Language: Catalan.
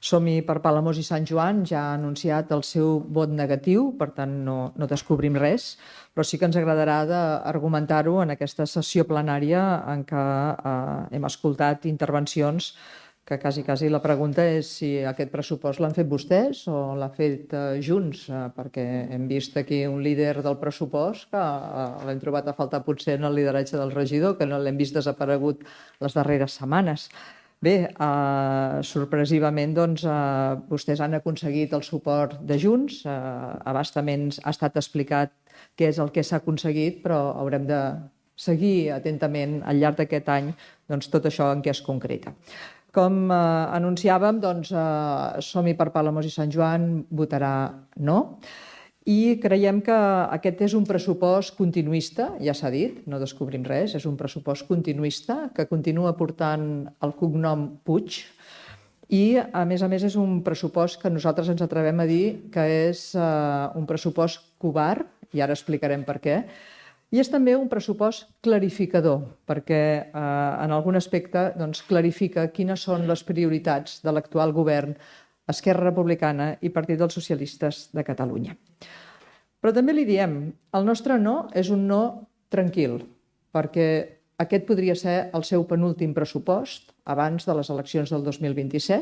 Som-hi per Palamós i Sant Joan ja ha anunciat el seu vot negatiu, per tant no descobrim res, però sí que ens agradarà d'argumentar-ho en aquesta sessió plenària en què hem escoltat intervencions que quasi la pregunta és si aquest pressupost l'han fet vostès o l'ha fet Junts, perquè hem vist aquí un líder del pressupost que l'hem trobat a faltar potser en el lideratge del regidor, que no l'hem vist desaparegut les darreres setmanes. Bé, sorpresivament vostès han aconseguit el suport de Junts, a bastament ha estat explicat què és el que s'ha aconseguit, però haurem de seguir atentament al llarg d'aquest any tot això en què es concreta. Com anunciàvem, Som-hi per Palamós i Sant Joan votarà no, i creiem que aquest és un pressupost continuista, ja s'ha dit, no descobrim res, és un pressupost continuista que continua portant el cognom Puig i, a més, és un pressupost que nosaltres ens atrevem a dir que és un pressupost covard, i ara explicarem per què, i és també un pressupost clarificador, perquè en algun aspecte clarifica quines són les prioritats de l'actual govern, Esquerra Republicana i Partit dels Socialistes de Catalunya. Però també li diem, el nostre no és un no tranquil, perquè aquest podria ser el seu penúltim pressupost abans de les eleccions del 2027